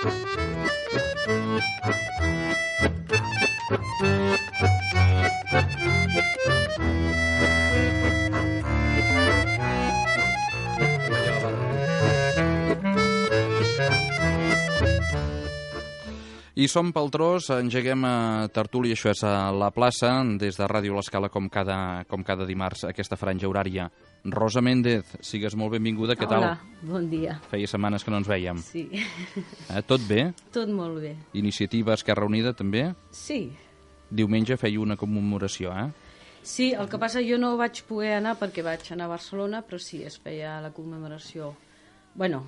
I som pel tros, engeguem a tertúlia, això és a la plaça, des de Ràdio L'Escala, com cada dimarts, aquesta franja horària. Rosa Méndez, sigues molt benvinguda, què tal? Hola, bon dia. Feia setmanes que no ens vèiem. Sí. Tot bé? Tot molt bé. Iniciativa Esquerra Unida, també? Sí. Diumenge feia una commemoració, Sí, el que passa jo no vaig poder anar perquè vaig anar a Barcelona, però sí, es feia la commemoració. Bueno,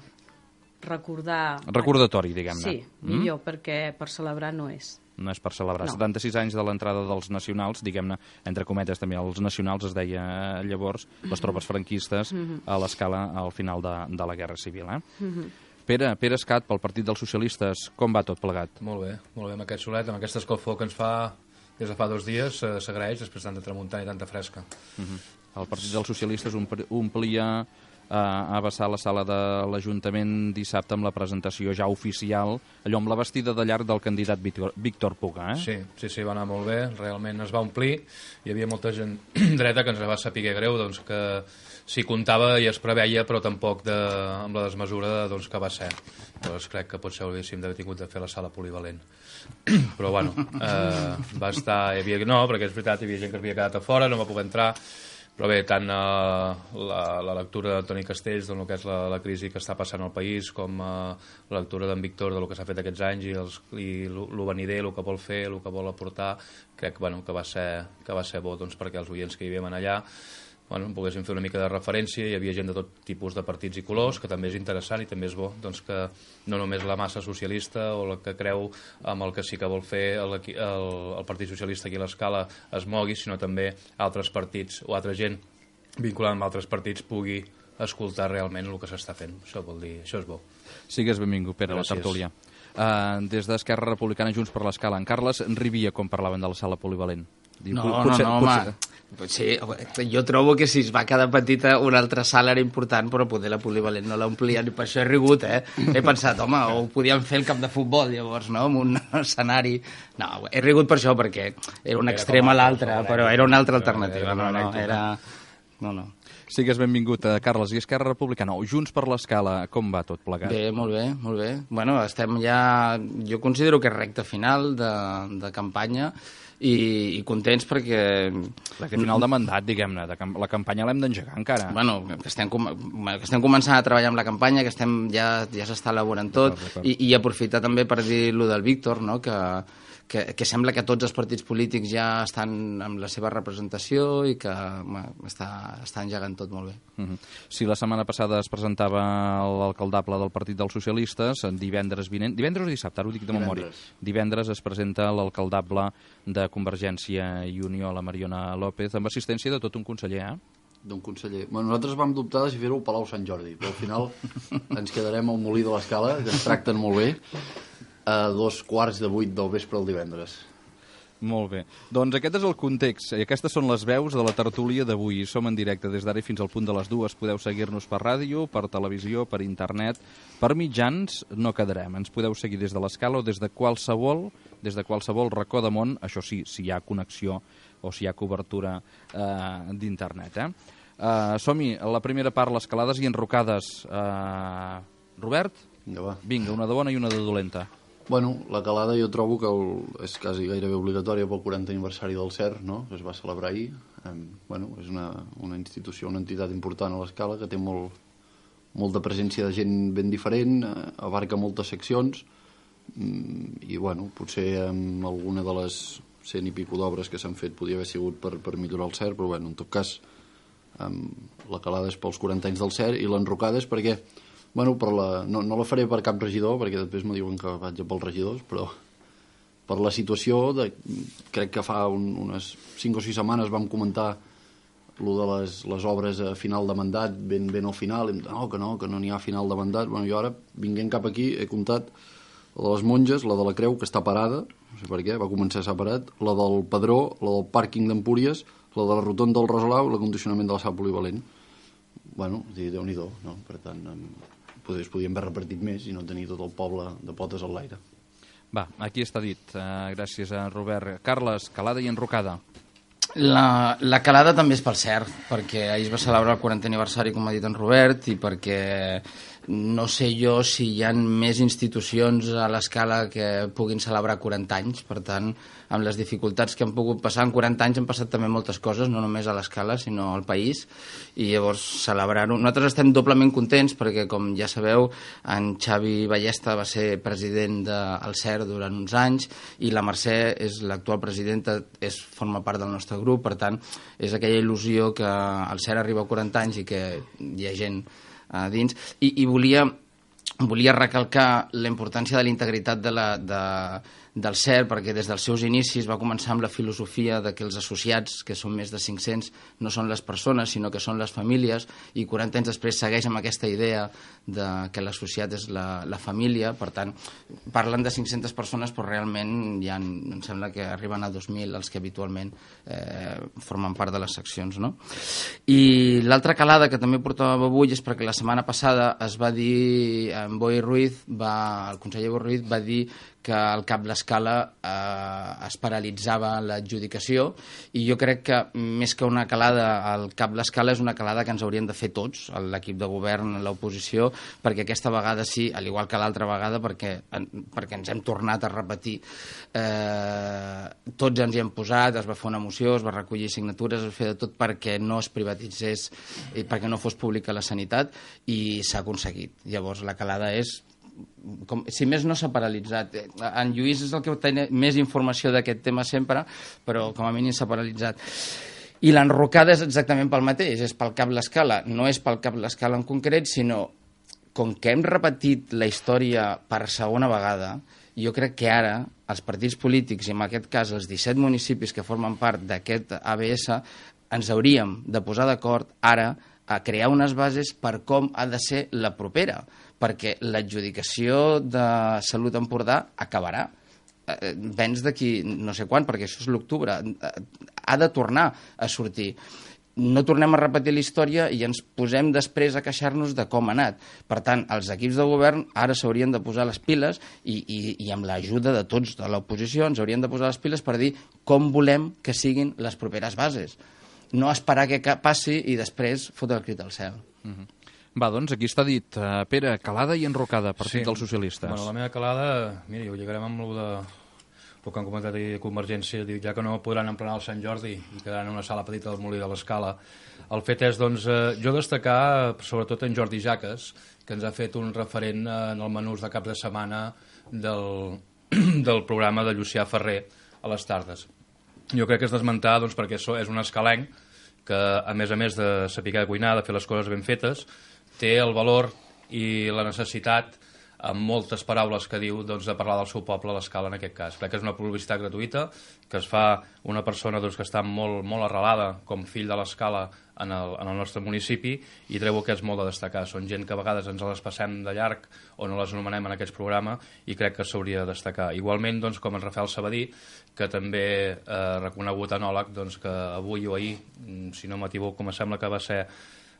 recordatori, diguem-ne. Sí, millor, perquè per celebrar no és. No és per celebrar. No. 76 anys de l'entrada dels nacionals, diguem-ne, entre cometes també, els nacionals es deia llavors, les tropes franquistes a l'Escala al final de la Guerra Civil. Pere Escat, pel Partit dels Socialistes, com va tot plegat? Molt bé, amb aquest solet, amb aquesta escalfor que ens fa des de fa 2 dies, s'agraeix després de tanta tramuntana i tanta fresca. El Partit dels Socialistes omplia a vessar la sala de l'Ajuntament dissabte amb la presentació ja oficial, allò amb la vestida de llarg del candidat Víctor Puga, Sí, va anar molt bé, realment es va omplir, hi havia molta gent dreta que ens va saber greu, doncs que s'hi comptava i es preveia, però tampoc amb la desmesura que va ser. Llavors crec que potser hauríem d'haver tingut de fer la sala polivalent. Però bueno, va estar... No, perquè és veritat, hi havia gent que havia quedat a fora, no va poder entrar. Però bé, tant la lectura d'Antoni Castells del que és la crisi que està passant al país, com la lectura d'en Víctor del que s'ha fet aquests anys i el venider, el que vol fer, el que vol aportar, crec que va ser bo perquè els oients que hi havien allà poguessin fer una mica de referència. Hi havia gent de tot tipus de partits i colors, que també és interessant i també és bo que no només la massa socialista o la que creu amb el que sí que vol fer el Partit Socialista aquí a l'Escala es mogui, sinó també altres partits o altra gent vinculada amb altres partits pugui escoltar realment el que s'està fent. Això vol dir, això és bo. Sigues benvingut, Pere, a la tertúlia. Des d'Esquerra Republicana, Junts per l'Escala, en Carles Rivia, com parlaven de la sala polivalent? No, home. Sí, jo trobo que si es va quedar petita una altra sala era important, però poder la polivalent no l'omplien, i per això he rigut, He pensat, home, ho podíem fer el camp de futbol, llavors, no?, amb un escenari... No, he rigut per això, perquè era un extrem a l'altre, però era una altra alternativa, no. Sigues benvingut, Carles. I Esquerra Republicana, o Junts per l'Escala, com va tot plegat? Bé, molt bé. Bueno, estem ja... Jo considero que és recta final de campanya, i contents perquè... Final de mandat, diguem-ne. La campanya l'hem d'engegar encara. Bueno, que estem començant a treballar amb la campanya, que ja s'està elaborant tot, i aprofitar també per dir lo del Víctor, no?, que sembla que tots els partits polítics ja estan amb la seva representació i que està engegant tot molt bé. Si la setmana passada es presentava l'alcaldable del Partit dels Socialistes, divendres o dissabte, ara ho dic de memòria, divendres es presenta l'alcaldable de Convergència i Unió, la Mariona López, amb assistència de tot un conseller, d'un conseller. Bueno, nosaltres vam dubtar de si fer-ho al Palau Sant Jordi, però al final ens quedarem al Molí de l'Escala, que ens tracten molt bé, a 7:15 del vespre el divendres. Molt bé. Doncs aquest és el context i aquestes són les veus de la tertúlia d'avui. Som en directe des d'ara fins al punt de les 2. Podeu seguir-nos per ràdio, per televisió, per internet, per mitjans no quedarem. Ens podeu seguir des de l'Escala o des de qualsevol racó de món, això sí, si hi ha connexió o si hi ha cobertura d'internet. Som-hi, la primera part, les calades i enrocades. Robert? Vinga, una de bona i una de dolenta. Bueno, la calada jo trobo que és quasi gairebé obligatòria pel 40 aniversari del CER, no?, que es va celebrar ahir. És una institució, una entitat important a l'Escala que té molta presència de gent ben diferent, abarca moltes seccions i, potser amb alguna de les 100 i pico d'obres que s'han fet podria haver sigut per millorar el CER, però, en tot cas, la calada és pels 40 anys del CER i l'enrocada és perquè no la faré per cap regidor, perquè després me diuen que vaig pels regidors, però per la situació, crec que fa unes 5 o 6 setmanes vam comentar lo de les obres a final de mandat, ben al final, i que no n'hi ha final de mandat. Jo ara, vinguent cap aquí, he comptat la de les monges, la de la Creu, que està parada, no sé per què, va començar separat, la del Padró, la del pàrquing d'Empúries, la de la rotonda del Rosalau i l'acondicionament de la sala polivalent. Déu-n'hi-do, no? Per tant, es podien haver repartit més i no tenir tot el poble de potes al l'aire. Va, aquí està dit. Gràcies a Robert. Carles, calada i enrocada. La calada també és pel cert, perquè ahir es va celebrar el 40è aniversari, com ha dit en Robert, i perquè no sé jo si hi ha més institucions a l'escala que puguin celebrar 40 anys, per tant, amb les dificultats que han pogut passar en 40 anys han passat també moltes coses, no només a l'escala, sinó al país, i llavors celebrar-ho. Nosaltres estem doblement contents perquè, com ja sabeu, en Xavi Ballesta va ser president del CER durant uns anys i la Mercè és l'actual presidenta, forma part del nostre grup, per tant, és aquella il·lusió que el CER arriba a 40 anys i que hi ha gent dins, i volia recalcar la importància de la integritat del CER, perquè des dels seus inicis va començar amb la filosofia de que els associats, que són més de 500, no són les persones, sinó que són les famílies, i 40 anys després segueix amb aquesta idea de que l'associat és la família. Per tant, parlen de 500 persones, però realment ja em sembla que arriben a 2.000 els que habitualment formen part de les seccions, no? I l'altra calada que també portava avui és perquè la setmana passada es va dir, en Boi Ruiz, el conseller Boi Ruiz va dir que al Cap l'Escala es paralitzava l'adjudicació, i jo crec que més que una calada al Cap l'Escala és una calada que ens haurien de fer tots, l'equip de govern, l'oposició, perquè aquesta vegada sí, al igual que l'altra vegada, perquè ens hem tornat a repetir. Tots ens hi hem posat, es va fer una moció, es va recollir signatures, es va fer de tot perquè no es privatitzés i perquè no fos pública la sanitat, i s'ha aconseguit. Llavors la calada és, si més no s'ha paralitzat. En Lluís és el que té més informació d'aquest tema sempre, però com a mínim s'ha paralitzat. I l'enrocada és exactament pel mateix, és pel Cap l'Escala. No és pel Cap l'Escala en concret, sinó com que hem repetit la història per segona vegada, jo crec que ara els partits polítics, i en aquest cas els 17 municipis que formen part d'aquest ABS, ens hauríem de posar d'acord ara a crear unes bases per com ha de ser la propera, perquè l'adjudicació de Salut Empordà acabarà. Vens d'aquí no sé quan, perquè això és l'octubre. Ha de tornar a sortir. No tornem a repetir la història i ens posem després a queixar-nos de com ha anat. Per tant, els equips de govern ara s'haurien de posar les piles i amb l'ajuda de tots de l'oposició ens haurien de posar les piles per dir com volem que siguin les properes bases. No esperar que passi i després fotre el crit al cel. Va, doncs aquí està dit. Pere, calada i enrocada, Partit dels Socialistes. Bueno, la meva calada, mira, ho lligarem amb el que han comentat ahir Convergència, ja que no podran emplenar el Sant Jordi i quedaran en una sala petita del Molí de l'Escala. El fet és, doncs, jo destacar, sobretot en Jordi Jaques, que ens ha fet un referent en el menús de cap de setmana del programa de Llucià Ferrer a les tardes. Jo crec que és d'esmentar, doncs, perquè és un escalenc que, a més de saber cuinar, de fer les coses ben fetes, té el valor i la necessitat, amb moltes paraules que diu, doncs, de parlar del seu poble a l'Escala en aquest cas. Crec que és una publicitat gratuïta, que es fa una persona, doncs, que està molt, molt arrelada com fill de l'Escala en el nostre municipi, i trobo que és molt de destacar. Són gent que a vegades ens les passem de llarg o no les anomenem en aquest programa, i crec que s'hauria de destacar. Igualment, doncs, com en Rafael Sabadí, que també reconegut enòleg, doncs, que avui o ahir, si no m'equivoco, com sembla que va ser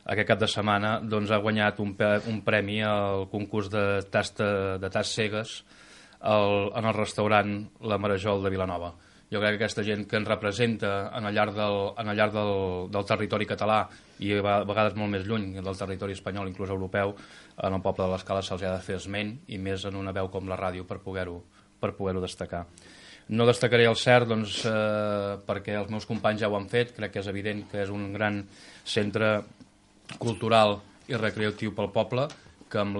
aquest cap de setmana, doncs, ha guanyat un premi al concurs de tas cegues en el restaurant La Marajol de Vilanova. Jo crec que aquesta gent que ens representa en el llarg del territori català, i a vegades molt més lluny del territori espanyol, inclús europeu, en el poble de l'Escala se'ls ha de fer esment, i més en una veu com la ràdio, per poder-ho destacar. No destacaré el CER, doncs, perquè els meus companys ja ho han fet. Crec que és evident que és un gran centre cultural i recreatiu pel poble, que amb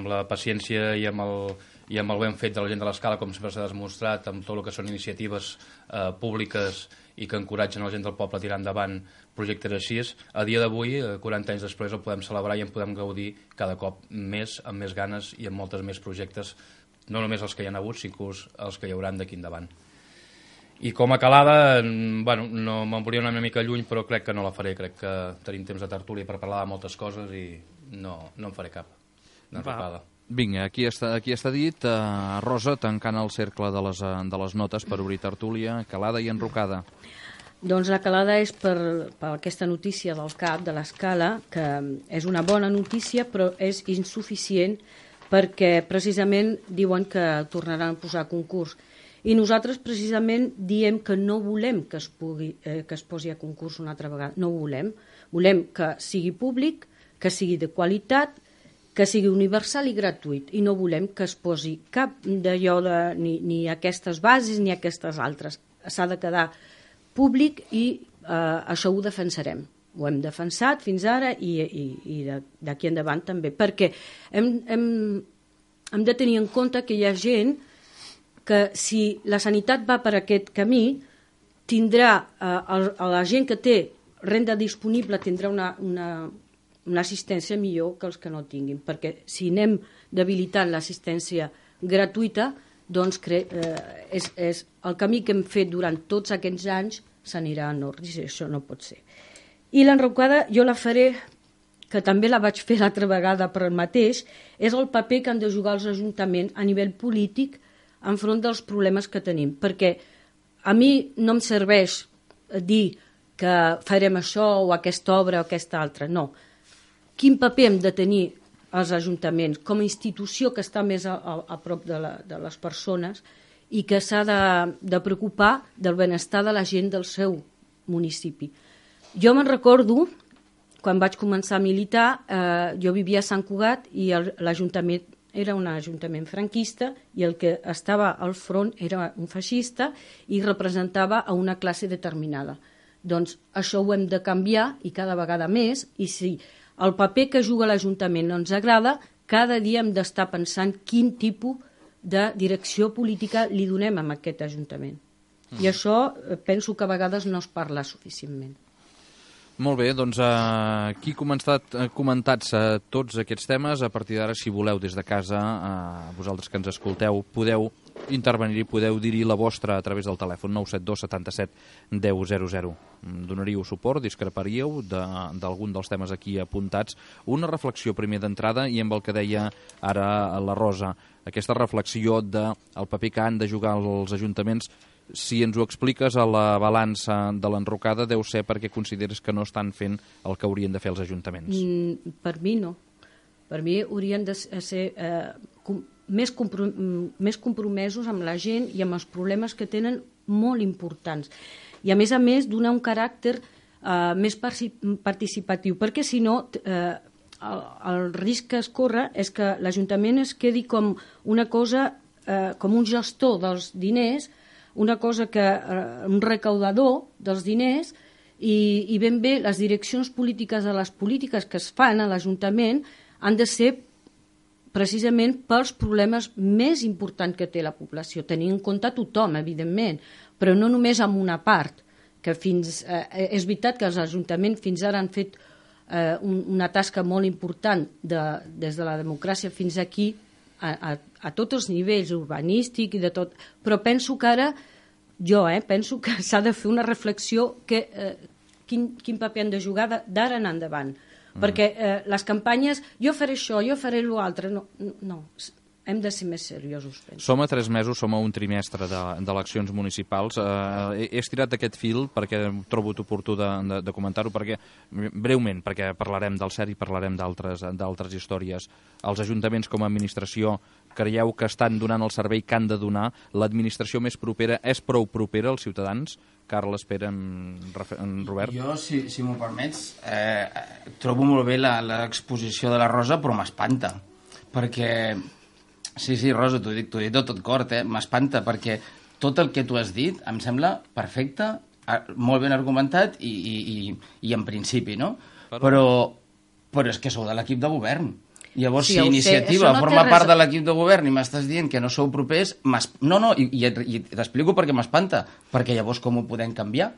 la paciència i amb el ben fet de la gent de l'Escala, com sempre s'ha demostrat, amb tot el que són iniciatives públiques i que encoratgen la gent del poble a tirar endavant projectes així, a dia d'avui, 40 anys després, el podem celebrar i en podem gaudir cada cop més, amb més ganes i amb moltes més projectes, no només els que hi ha hagut, sinó els que hi hauran d'aquí endavant. I com a calada, bueno, no me'n volia una mica lluny, però crec que no la faré. Crec que tenim temps de tertúlia per parlar de moltes coses i no en faré cap d'enrocada. Vinga, aquí està dit. Rosa, tancant el cercle de les notes per obrir tertúlia, calada i enrocada. Doncs la calada és per aquesta notícia del CAP, de l'escala, que és una bona notícia, però és insuficient perquè precisament diuen que tornaran a posar concurs. I nosaltres precisament diem que no volem que es posi a concurs una altra vegada. No ho volem. Volem que sigui públic, que sigui de qualitat, que sigui universal i gratuït. I no volem que es posi cap d'allò ni aquestes bases ni aquestes altres. S'ha de quedar públic i això ho defensarem. Ho hem defensat fins ara i d'aquí endavant també, perquè hem de tenir en compte que hi ha gent que si la sanitat va per aquest camí, tindrà la gent que té renda disponible tindrà una assistència millor que els que no tinguin, perquè si anem debilitant l'assistència gratuïta, doncs és el camí que hem fet durant tots aquests anys s'anirà en ordre, i això no pot ser. I l'enrocada jo la faré, que també la vaig fer l'altra vegada per el mateix, és el paper que han de jugar els ajuntaments a nivell polític enfront dels problemes que tenim, perquè a mi no em serveix dir que farem això o aquesta obra o aquesta altra, no. Quin paper hem de tenir els ajuntaments com a institució que està més a prop de les persones i que s'ha de preocupar del benestar de la gent del seu municipi. Jo me'n recordo, quan vaig començar a militar, jo vivia a Sant Cugat i l'Ajuntament era un ajuntament franquista i el que estava al front era un feixista i representava a una classe determinada. Doncs això ho hem de canviar i cada vegada més, i si el paper que juga l'Ajuntament no ens agrada, cada dia hem d'estar pensant quin tipus de direcció política li donem a aquest Ajuntament. I això penso que a vegades no es parla suficientment. Molt bé, doncs aquí comentats tots aquests temes. A partir d'ara, si voleu des de casa, vosaltres que ens escolteu, podeu intervenir i podeu dir-hi la vostra a través del telèfon 972 77 1000. Donaríeu suport, discreparíeu d'algun dels temes aquí apuntats. Una reflexió primer d'entrada i amb el que deia ara la Rosa, aquesta reflexió del paper que han de jugar els ajuntaments. Si ens ho expliques a la balança de l'enrocada, deu ser perquè consideres que no estan fent el que haurien de fer els ajuntaments. Per mi no. Per mi haurien de ser més compromesos amb la gent i amb els problemes que tenen molt importants. I a més, donar un caràcter més participatiu, perquè si no el risc que es corre és que l'Ajuntament es quedi com una cosa, com un gestor dels diners, una cosa un recaudador dels diners, i ben bé les direccions polítiques de les polítiques que es fan a l'Ajuntament han de ser precisament pels problemes més importants que té la població, tenint en compte tothom, evidentment, però no només amb una part, que és veritat que els ajuntaments fins ara han fet una tasca molt important des de la democràcia fins aquí, a tots els nivells, urbanístic i de tot, però penso que ara, penso que s'ha de fer una reflexió quin paper han de jugar d'ara en endavant, perquè les campanyes, jo faré això, jo faré l'altre, no, hem de ser més seriosos. Penso. Som a 3 mesos, som a un trimestre d'eleccions municipals. He estirat aquest fil perquè trobo oportú de comentar-ho, breument, perquè parlarem del CERT i parlarem d'altres històries. Els ajuntaments com a administració creieu que estan donant el servei que han de donar? L'administració més propera és prou propera als ciutadans? Carles, Pere, en Robert? Jo, si m'ho permets, trobo molt bé l'exposició de la Rosa, però m'espanta, perquè... Sí, Rosa, t'ho he dit de tot cor, m'espanta, perquè tot el que tu has dit em sembla perfecte, molt ben argumentat i en principi, no? Però és que sou de l'equip de govern. Llavors, si Iniciativa forma part de l'equip de govern i m'estàs dient que no sou propers... i t'explico perquè m'espanta, perquè llavors com ho podem canviar?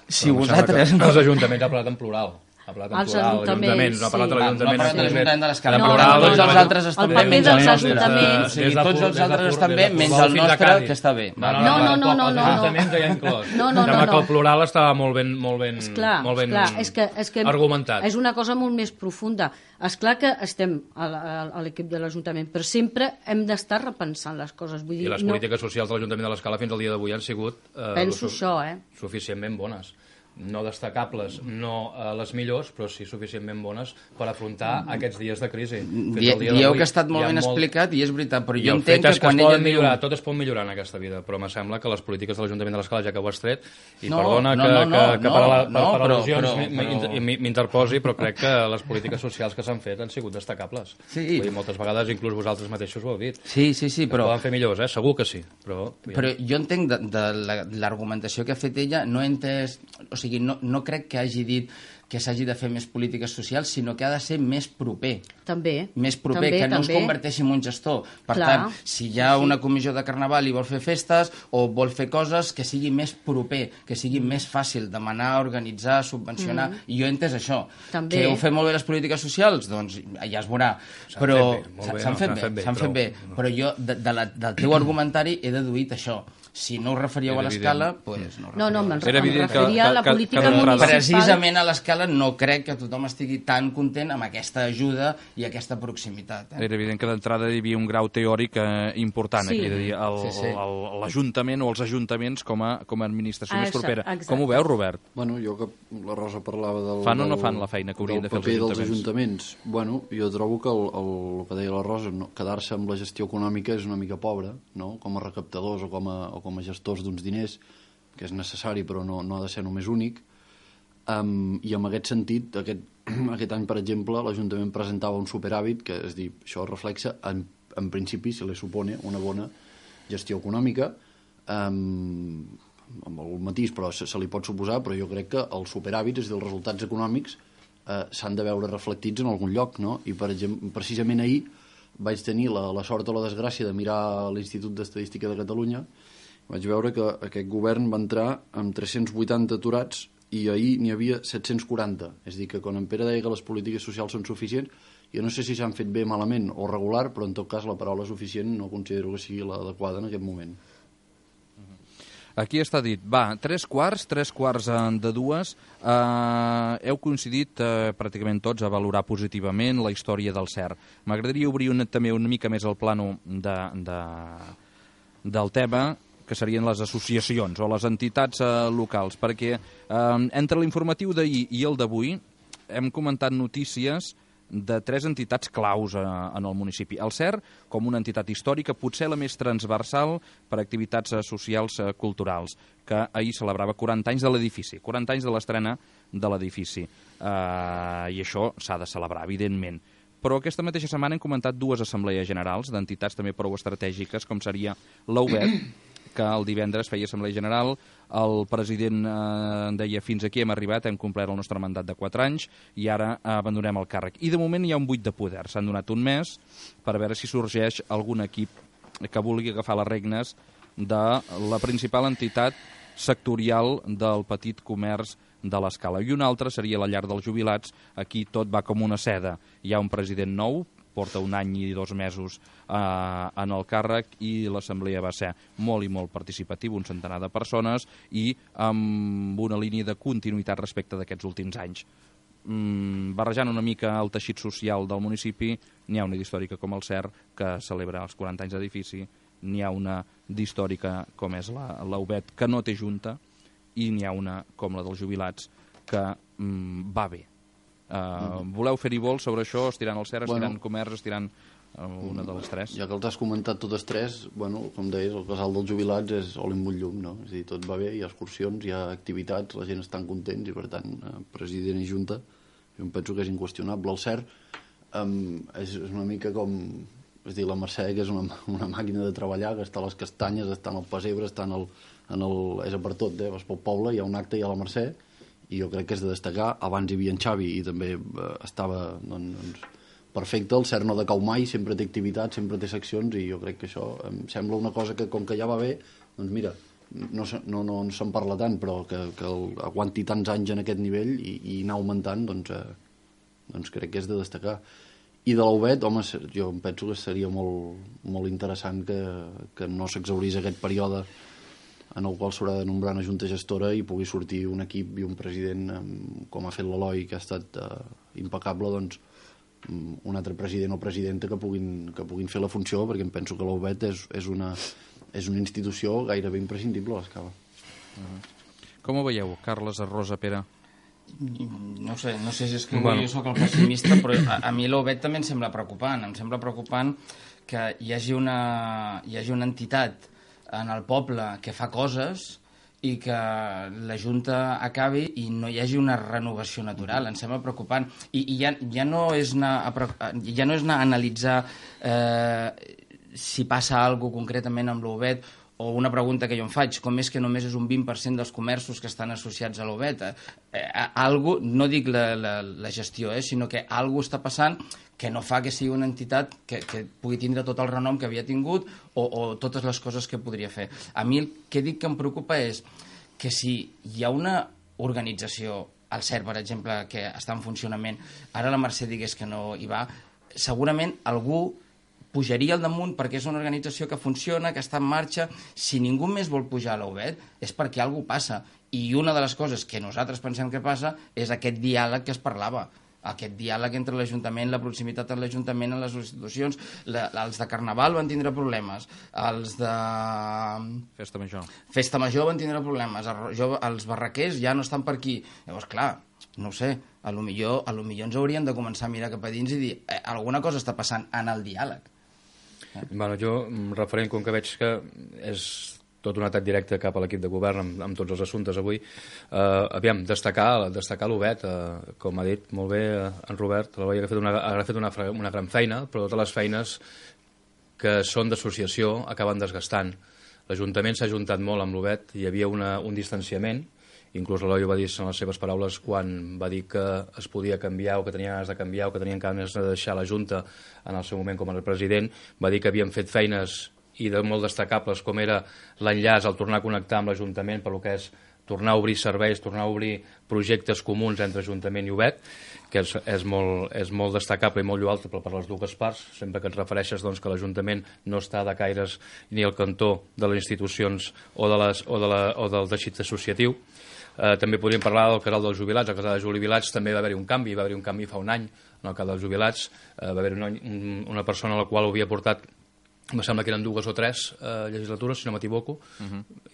Si vosaltres... Els ajuntaments ha parlat en plural. Ha parlat en als plural, ajuntaments, no ha parlat de sí. l'Ajuntament. No ha parlat de l'Ajuntament de l'Escala. No, Però tots els no. altres estan El bé, paper menys dels el nostre. ajuntaments. O sigui, tots els altres estan bé, menys el nostre, que està bé. No. Els ajuntaments ja hi ha inclòs. No. Sembla que el plural estava molt ben Esclar, és que argumentat. és una cosa molt més profunda. Esclar que estem a l'equip de l'Ajuntament, però sempre hem d'estar repensant les coses. Vull dir, I les polítiques socials de l'Ajuntament de l'Escala fins al dia d'avui han sigut penso això, suficientment bones. No destacables, no les millors, però sí suficientment bones per afrontar aquests dies de crisi. Dieu que ha estat molt ben explicat i és veritat, però jo entenc que quan ella diu... Tot es pot millorar en aquesta vida, però me sembla que les polítiques de l'Ajuntament de l'Escala, ja que ho has tret, i perdona que per al·lusions m'interposi, però crec que les polítiques socials que s'han fet han sigut destacables. Sí. Moltes vegades inclús vosaltres mateixos ho heu dit. Sí, però... Poden fer millors, segur que sí. Però jo entenc de l'argumentació que ha fet ella, no he entès... O sigui, no crec que hagi dit que s'hagi de fer més polítiques socials, sinó que ha de ser més proper. També. Més proper, que no es converteixi en un gestor. Per tant, si hi ha una comissió de carnaval i vol fer festes o vol fer coses, que sigui més proper, que sigui més fàcil demanar, organitzar, subvencionar. I jo he entès això. També. Que heu fet molt bé les polítiques socials? Doncs ja es veurà. S'han fet bé. Però jo, del teu argumentari, he deduït això. Si no us referíeu a l'Escala, doncs no. No, me'n referia a la política municipal. Precisament a l'Escala no crec que tothom estigui tan content amb aquesta ajuda i aquesta proximitat. Era evident que d'entrada hi havia un grau teòric important aquí, de dir, l'Ajuntament o els ajuntaments com a administració més propera. Com ho veus, Robert? Bueno, jo que la Rosa parlava del... Fan o no fan la feina que haurien de fer els ajuntaments? Dels ajuntaments. Bueno, jo trobo que el que deia la Rosa, quedar-se amb la gestió econòmica és una mica pobra, no? Com a recaptadors o com a gestors d'uns diners, que és necessari però no ha de ser només únic. I en aquest sentit, aquest any, per exemple, l'Ajuntament presentava un superàvit, que és dir, això reflexa, en principi, se li supone una bona gestió econòmica, amb algun matís, però se li pot suposar, però jo crec que els superàvits, és a dir, els resultats econòmics, s'han de veure reflectits en algun lloc, no? I, per exemple, precisament ahir vaig tenir la sort o la desgràcia de mirar l'Institut d'Estadística de Catalunya. Vaig veure que aquest govern va entrar amb 380 aturats i ahir n'hi havia 740. És a dir, que quan en Pere deia que les polítiques socials són suficients, jo no sé si s'han fet bé, malament o regular, però en tot cas la paraula suficient no considero que sigui l'adequada en aquest moment. Aquí està dit, va, 3/4 de 2. Heu coincidit pràcticament tots a valorar positivament la història del CER. M'agradaria obrir també una mica més el plano del tema, que serien les associacions o les entitats locals, perquè entre l'informatiu d'ahir i el d'avui hem comentat notícies de 3 entitats claus en el municipi. El CER, com una entitat històrica, potser la més transversal per a activitats socials culturals, que ahir celebrava 40 anys de l'edifici, 40 anys de l'estrena de l'edifici. I això s'ha de celebrar, evidentment. Però aquesta mateixa setmana hem comentat 2 assemblees generals d'entitats també prou estratègiques, com seria l'UBET, que el divendres feia assemblea general, el president deia fins aquí hem arribat, hem complert el nostre mandat de 4 anys i ara abandonem el càrrec. I de moment hi ha un buit de poder, s'han donat un mes per veure si sorgeix algun equip que vulgui agafar les regnes de la principal entitat sectorial del petit comerç de l'Escala. I una altra seria la llar dels jubilats, aquí tot va com una seda. Hi ha un president nou, porta 1 any i 2 mesos en el càrrec i l'assemblea va ser molt i molt participativa, un centenar de persones i amb una línia de continuïtat respecte d'aquests últims anys. Barrejant una mica el teixit social del municipi, n'hi ha una d'històrica com el CER, que celebra els 40 anys d'edifici, n'hi ha una d'històrica com és la UBET, que no té junta, i n'hi ha una com la dels jubilats, que va bé. Voleu fer-hi vol sobre això, estirant el CER, estirant comerç, estirant una de les 3? Ja que els has comentat totes 3, bueno, com deies, el casal dels jubilats és oli amb un llum, no? És a dir, tot va bé, hi ha excursions, hi ha activitats, la gent està contents i, per tant, president i junta, jo em penso que és inqüestionable. El CER és una mica com... És a dir, la Mercè, que és una màquina de treballar, que està a les castanyes, està en el pessebre, està és a per tot, vas pel poble, hi ha un acte, hi ha la Mercè, i jo crec que és de destacar. Abans hi havia en Xavi i també estava perfecte, el CER no decau mai, sempre té activitat, sempre té seccions, i jo crec que això em sembla una cosa que, com que ja va bé, doncs mira, no se'n parla tant, però que aguanti tants anys en aquest nivell i anar augmentant, doncs crec que és de destacar. I de l'Ovet, home, jo em penso que seria molt interessant que no s'exhaurís aquest període en el qual s'haurà de nombrar una junta gestora i pugui sortir un equip i un president, com ha fet l'Eloi, que ha estat impecable, doncs un altre president o presidenta que puguin fer la funció, perquè em penso que l'Ovet és una institució gairebé imprescindible a l'Escala. Com ho veieu, Carles, Rosa, Pere? No sé si és que jo soc el pessimista, però a mi l'Ovet també em sembla preocupant. Em sembla preocupant que hi hagi una entitat en el poble que fa coses i que la Junta acabi i no hi hagi una renovació natural. Em sembla preocupant. I ja no és anar a analitzar si passa alguna cosa concretament amb l'Ovet, o una pregunta que jo em faig, com és que només és un 20% dels comerços que estan associats a l'Ovet? No dic la gestió, sinó que alguna cosa està passant que no fa que sigui una entitat que pugui tindre tot el renom que havia tingut o totes les coses que podria fer. A mi el que dic que em preocupa és que si hi ha una organització, el CERT, per exemple, que està en funcionament, ara la Mercè digués que no hi va, segurament algú pujaria al damunt perquè és una organització que funciona, que està en marxa. Si ningú més vol pujar a l'Ovet és perquè alguna cosa passa. I una de les coses que nosaltres pensem que passa és aquest diàleg que es parlava. Aquest diàleg entre l'Ajuntament, la proximitat de l'Ajuntament en les institucions. Els de Carnaval van tindre problemes. Els de Festa Major van tindre problemes. Els barraquers ja no estan per aquí. Llavors, clar, no ho sé, a lo millor ens hauríem de començar a mirar cap a dins i dir alguna cosa està passant en el diàleg. Bueno, jo, referent, com que veig que és tot un atac directe cap a l'equip de govern amb tots els assumptes avui, aviam, destacar l'Ovet, com ha dit molt bé en Robert, l'Eloi ha fet una gran feina, però totes les feines que són d'associació acaben desgastant. L'Ajuntament s'ha ajuntat molt amb l'Ovet, hi havia un distanciament, inclús l'Eloi ho va dir en les seves paraules quan va dir que es podia canviar o que tenia ganes de canviar o que tenien ganes de deixar la Junta en el seu moment com a president. Va dir que havien fet feines i molt destacables com era l'enllaç, el tornar a connectar amb l'Ajuntament per lo que és tornar a obrir serveis, tornar a obrir projectes comuns entre Ajuntament i Ovet, que és molt destacable i molt lloable per les dues parts, sempre que et refereixes doncs, que l'Ajuntament no està de caires ni al cantó de les institucions o del teixit associatiu. També podríem parlar del casal dels jubilats. Al casal dels jubilats també va haver-hi un canvi fa un any en el cas dels jubilats. Va haver una persona a la qual ho havia portat, em sembla que eren 2 o 3 legislatures, si no m'equivoco,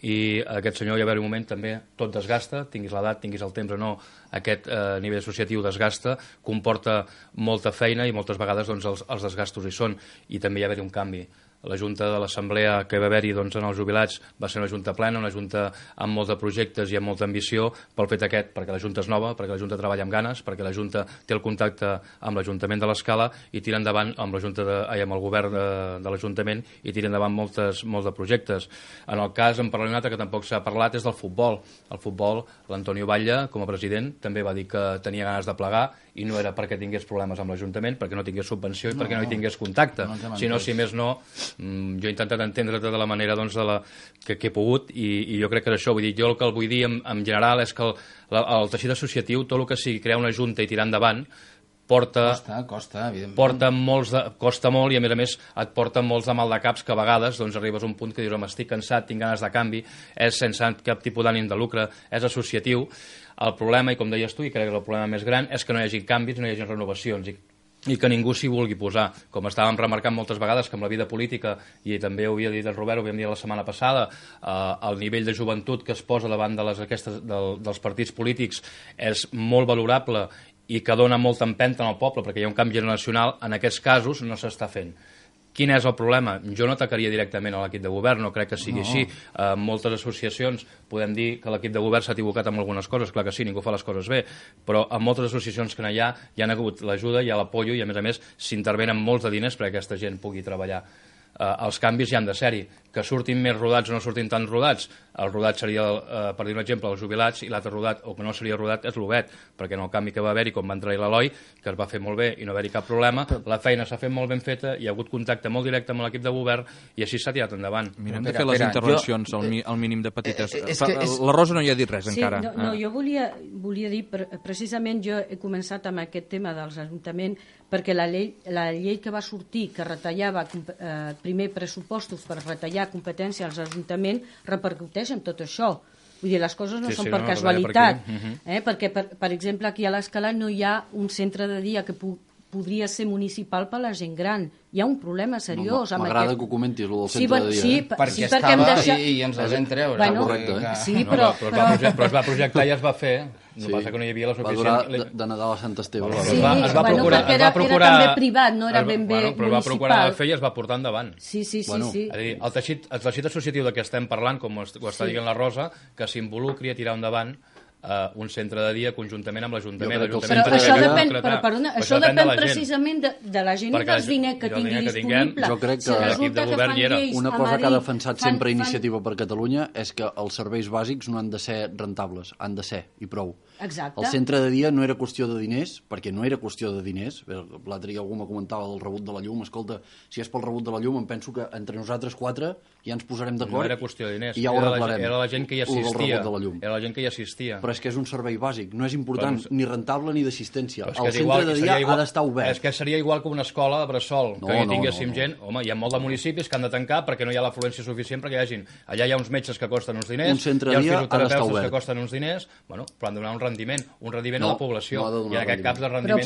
i aquest senyor hi va haver un moment també, tot desgasta, tinguis l'edat, tinguis el temps o no, aquest nivell associatiu desgasta, comporta molta feina i moltes vegades doncs, els desgastos hi són, i també hi va haver un canvi. La Junta de l'Assemblea que va haver-hi doncs, en els jubilats va ser una Junta plena, una Junta amb molts de projectes i amb molta ambició pel fet aquest, perquè la Junta és nova, perquè la Junta treballa amb ganes, perquè la Junta té el contacte amb l'Ajuntament de l'Escala i tira endavant amb el govern de l'Ajuntament i tira endavant molts de projectes. En el cas, en parlaré un altre que tampoc s'ha parlat, és del futbol. El futbol, l'Antonio Batlle, com a president, també va dir que tenia ganes de plegar i no era perquè tingués problemes amb l'Ajuntament, perquè no tingués subvenció i perquè no hi tingués contacte, sinó, si més no, jo he intentat entendre de la manera doncs, que he pogut i jo crec que és això. Vull dir, jo el que vull dir en general és que el teixit associatiu, tot el que sigui crear una junta i tirar endavant, costa molt i a més et porta molts de mal de caps que a vegades doncs, arribes a un punt que dius estic cansat, tinc ganes de canvi, és sense cap tipus d'ànim de lucre, és associatiu. El problema, i com deies tu, i crec que el problema més gran, és que no hi hagi canvis, no hi hagi renovacions i que ningú s'hi vulgui posar. Com estàvem remarcant moltes vegades que amb la vida política, i també ho havia dit el Robert, ho havíem dit la setmana passada, el nivell de joventut que es posa davant dels partits polítics és molt valorable i que dona molta empenta al poble perquè hi ha un canvi generacional. En aquests casos no s'està fent. Quin és el problema? Jo no atacaria directament a l'equip de govern, no crec que sigui així. Moltes associacions podem dir que l'equip de govern s'ha equivocat amb algunes coses, clar que sí, ningú fa les coses bé, però en moltes associacions que hi ha hagut l'ajuda, hi ha l'apollo i a més s'intervenen molts de diners perquè aquesta gent pugui treballar. Els canvis hi han de ser-hi, que surtin més rodats o no surtin tan rodats. El rodat seria, per dir un exemple, els jubilats, i l'altre rodat, o que no seria rodat, és l'Obet, perquè en el canvi que va haver-hi, com va entrar l'Eloi, que es va fer molt bé i no va haver-hi cap problema, la feina s'ha fet molt ben feta, hi ha hagut contacte molt directe amb l'equip de govern i així s'ha tirat endavant. Mirem de fer les intervencions al mínim de petites. La Rosa no hi ha dit res encara. No, jo volia dir, precisament jo he començat amb aquest tema dels ajuntaments, perquè la llei que va sortir, que retallava primer pressupostos per retallar competència als ajuntaments, repercuteix en tot això. Vull dir, les coses no són per casualitat. Perquè, per exemple, aquí a l'Escala no hi ha un centre de dia que podria ser municipal per a la gent gran. Hi ha un problema seriós. M'agrada que ho comentis, el del centre de dia. Sí, perquè estava i ens els hem treure. Correcte. Sí, però es va projectar i es va fer. El que passa que no hi havia la suficient... Va durar de Nadal a Sant Esteve. Sí, perquè era també privat, no era ben bé municipal. Però es va procurar fer i es va portar endavant. Sí. És a dir, el teixit associatiu de què estem parlant, com ho està dient la Rosa, que s'involucri a tirar endavant un centre de dia conjuntament amb l'Ajuntament. Però això depèn precisament de la gent i dels diners que tingui disponible. Jo crec que l'equip de govern hi era. Una cosa que ha defensat sempre Iniciativa per Catalunya és que els serveis bàsics no han de ser rentables, han de ser, i prou. Exacte. El centre de dia no era qüestió de diners, perquè no era qüestió de diners. L'altre dia algú me comentava del rebut de la llum. Escolta, si és pel rebut de la llum, em penso que entre nosaltres 4 ja ens posarem d'acord. No era qüestió de diners, i ja ho arreglarem. Era la gent que hi assistia. Era la gent que hi assistia. Però és que és un servei bàsic, no és important ni rentable ni d'assistència. El centre de dia ha d'estar obert. És que seria igual que una escola de bressol, que hi tinguéssim gent. Home, hi ha molt de municipis que han de tancar perquè no hi ha l'afluència suficient perquè hi hagin. Allà hi ha uns metges que costen uns diners, un centre hi ha de dia fisioterapeutes que costen uns diners, bueno, però han de donar un rendiment a la població. I en aquest cas de rendiment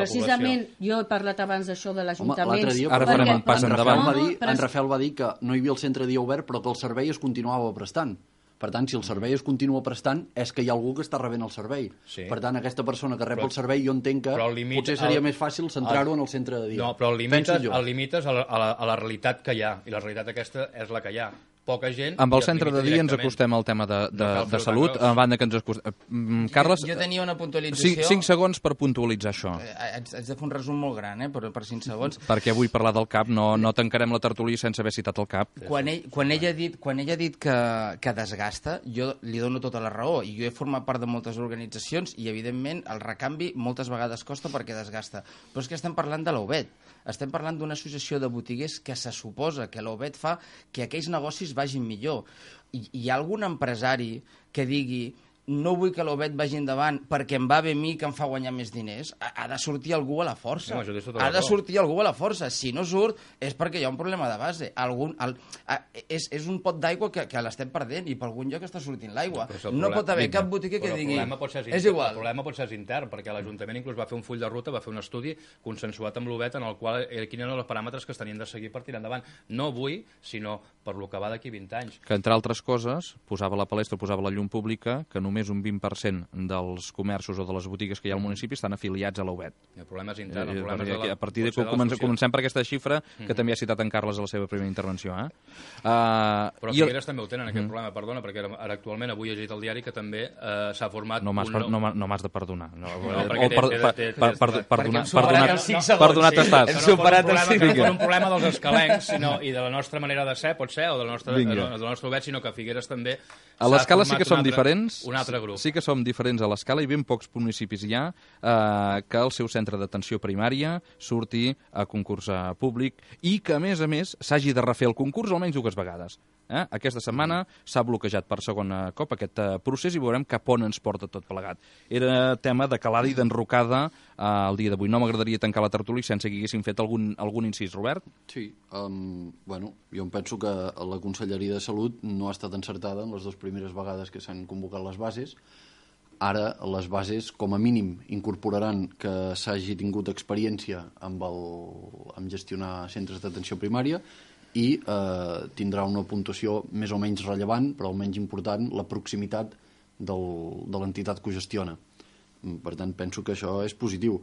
precisament jo he parlat abans d'això de l'Ajuntament. Ara farem un pas endavant. En Rafael va dir que no hi havia el centre de dia obert però que el servei es continuava prestant. Per tant, si el servei es continua prestant, és que hi ha algú que està rebent el servei. Sí. Per tant, aquesta persona que rep el servei, jo entenc que potser seria més fàcil centrar-ho en el centre de dia. No, però el limites a la realitat que hi ha, i la realitat aquesta és la que hi ha. Poca gent... Amb el centre de dia ens acostem al tema de salut, a banda que ens acostem... Carles, jo tenia una puntualització... 5 segons per puntualitzar això. Haig de fer un resum molt gran, per 5 segons. Perquè avui parlar del CAP, no tancarem la tertúlia sense haver citat el CAP. Quan ella ha dit que desgasta, jo li dono tota la raó, i jo he format part de moltes organitzacions, i evidentment el recanvi moltes vegades costa perquè desgasta. Però és que estem parlant de l'Obet. Estem parlant d'una associació de botiguers que se suposa que l'Obet fa que aquells negocis vagin millor. Hi ha algun empresari que digui no vull que l'Obet vagi endavant perquè em va bé a mi que em fa guanyar més diners? Ha de sortir algú a la força. Ha de sortir algú a la força. Si no surt és perquè hi ha un problema de base. És un pot d'aigua que l'estem perdent i per algun lloc està sortint l'aigua. No pot haver cap botiga que digui és igual. El problema pot ser intern, perquè l'Ajuntament inclús va fer un full de ruta, va fer un estudi consensuat amb l'Obet en el qual quins eren els paràmetres que es tenien de seguir per tirar endavant. No avui, sinó per lo que va d'aquí 20 anys. Que, entre altres coses, posava la palestra, posava la llum pública, que només un 20% dels comerços o de les botigues que hi ha al municipi estan afiliats a l'Obet. El problema és intern. A partir de comencem per aquesta xifra, que també ha citat en Carles a la seva primera intervenció. Però Figueres també ho tenen, aquest problema, perdona, perquè ara actualment avui he llegit al diari que també s'ha format... No m'has de perdonar. Per donar t'estàs. Hem superat un problema dels escalencs i de la nostra manera de ser, pot ser, o del nostre Obet, sinó que Figueres també... A l'Escala sí que som diferents. Un altre grup. Sí que som diferents a l'Escala i ben pocs municipis hi ha que el seu centre d'atenció primària surti a concurs públic i que, a més, s'hagi de refer el concurs almenys 2 vegades. Aquesta setmana s'ha bloquejat per segon cop aquest procés i veurem cap on ens porta tot plegat. Era tema de calada i d'enrocada el dia d'avui. No m'agradaria tancar la tertúlia sense que haguéssim fet algun incís, Robert? Sí, jo em penso que la Conselleria de Salut no ha estat encertada en les 2 primeres vegades que s'han convocat les bases. Ara les bases, com a mínim, incorporaran que s'hagi tingut experiència amb gestionar centres d'atenció primària i tindrà una puntuació més o menys rellevant, però almenys important, la proximitat de l'entitat que ho gestiona. Per tant, penso que això és positiu.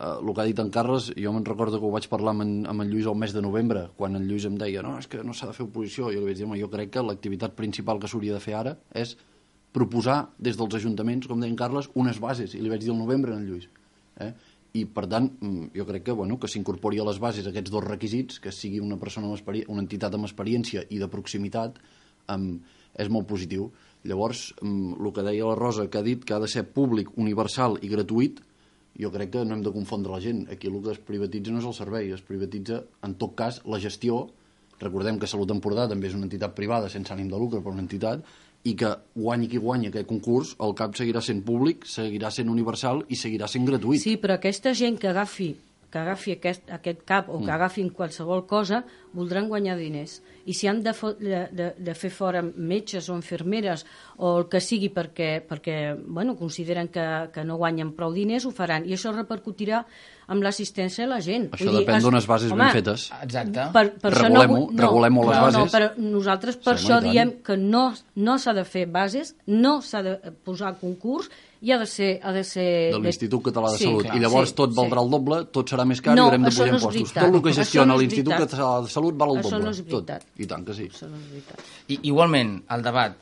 El que ha dit en Carles, jo me'n recordo que ho vaig parlar amb en Lluís el mes de novembre, quan en Lluís em deia no, és que no s'ha de fer oposició. Jo li vaig dir, jo crec que l'activitat principal que s'hauria de fer ara és proposar des dels ajuntaments, com deia en Carles, unes bases, i li vaig dir al novembre en Lluís. i per tant jo crec que s'incorpori a les bases aquests dos requisits, que sigui una persona una entitat amb experiència i de proximitat, és molt positiu. Llavors, el que deia la Rosa, que ha dit que ha de ser públic, universal i gratuït, jo crec que no hem de confondre la gent. Aquí el que es privatitza no és el servei, es privatitza, en tot cas, la gestió. Recordem que Salut Empordà també és una entitat privada sense ànim de lucre, però una entitat, i que guanyi qui guanyi aquest concurs, el CAP seguirà sent públic, seguirà sent universal i seguirà sent gratuït. Sí, però aquesta gent que agafi aquest CAP o que agafin qualsevol cosa, voldran guanyar diners. I si han de fer fora metges o infermeres o el que sigui perquè consideren que no guanyen prou diners, ho faran. I això repercutirà amb l'assistència a la gent. Això depèn d'unes bases ben fetes. Exacte. Regulem-ho les bases. No, però nosaltres per això diem que no s'ha de fer bases, no s'ha de posar concurs i ha de ser de l'Institut Català de Salut. I llavors tot valdrà el doble, tot serà més car i haurem de pujar impostos. Tot el que gestiona l'Institut Català de Salut val el doble. Això no és veritat. I tant que sí. Això no és veritat. Igualment, el debat,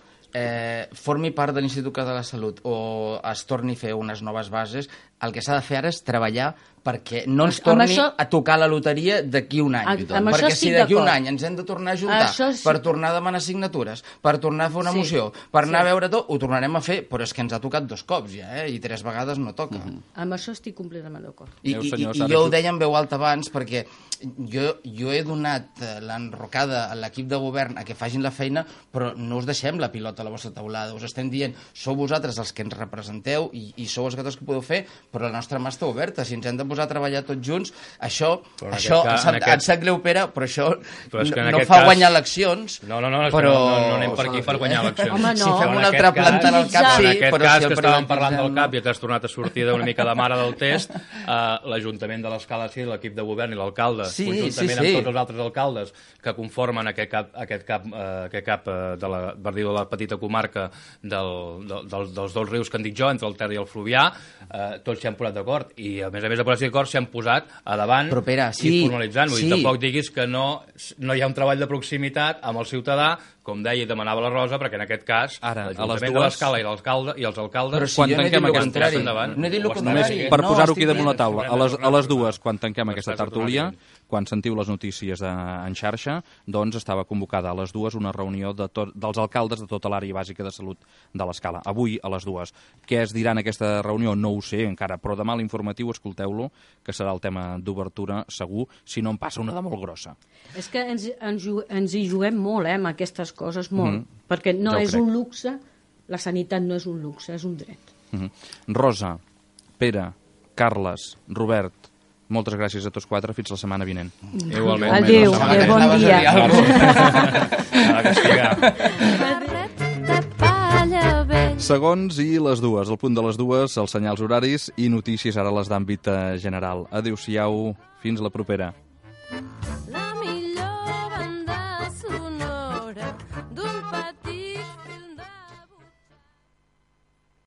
formi part de l'Institut Català de Salut o es torni a fer unes noves bases, el que s'ha de fer ara és treballar perquè no ens torni a tocar la loteria d'aquí un any. Perquè si d'aquí un any ens hem de tornar a juntar per tornar a demanar signatures, per tornar a fer una moció, per anar a veure tot, ho tornarem a fer, però és que ens ha tocat 2 cops ja, i 3 vegades no toca. Amb això estic completament d'acord. I jo ho deia en veu alta abans perquè jo he donat l'enrocada a l'equip de govern a que facin la feina, però no us deixem la pilota a la vostra taulada, us estem dient, sou vosaltres els que ens representeu i sou els que podeu fer, però la nostra mà està oberta, si ens hem de posar a treballar tots junts, això em sap greu, Pere, però això no fa guanyar eleccions. No anem per aquí per guanyar eleccions. Home, no. Si fem una altra planta en el CAP, sí, en aquest però cas si que estàvem parlant del CAP i que has tornat a sortir d'una mica de mare del test, l'Ajuntament de l'Escala, sí, l'equip de govern i l'alcalde, conjuntament amb tots els altres alcaldes que conformen aquest CAP de la petita comarca dels 2 rius que en dic jo, entre el Ter i el Fluvià, tots s'hi han posat d'acord i a més de posar-s'hi d'acord s'hi han posat a davant i formalitzant-ho. I tampoc diguis que no hi ha un treball de proximitat amb el ciutadà, com deia i demanava la Rosa, perquè en aquest cas l'Ajuntament de l'Escala i els alcaldes, quan tanquem aquesta per posar-ho aquí damunt la taula, a les 2, quan tanquem aquesta tertúlia, quan sentiu les notícies en xarxa, doncs estava convocada a les 2 una reunió dels alcaldes de tota l'àrea bàsica de salut de l'Escala. Avui a les 2. Què es dirà en aquesta reunió? No ho sé encara, però demà a l'informatiu escolteu-lo, que serà el tema d'obertura segur, si no en passa una de molt grossa. És que ens hi juguem molt, amb aquestes coses, molt, perquè no és un luxe, la sanitat no és un luxe, és un dret. Rosa, Pere, Carles, Robert, moltes gràcies a tots 4, fins la setmana vinent. Igualment. Adéu, bon dia. Segons i les 2, al punt de les 2, els senyals horaris i notícies ara les d'àmbit general. Adéu-siau, fins la propera.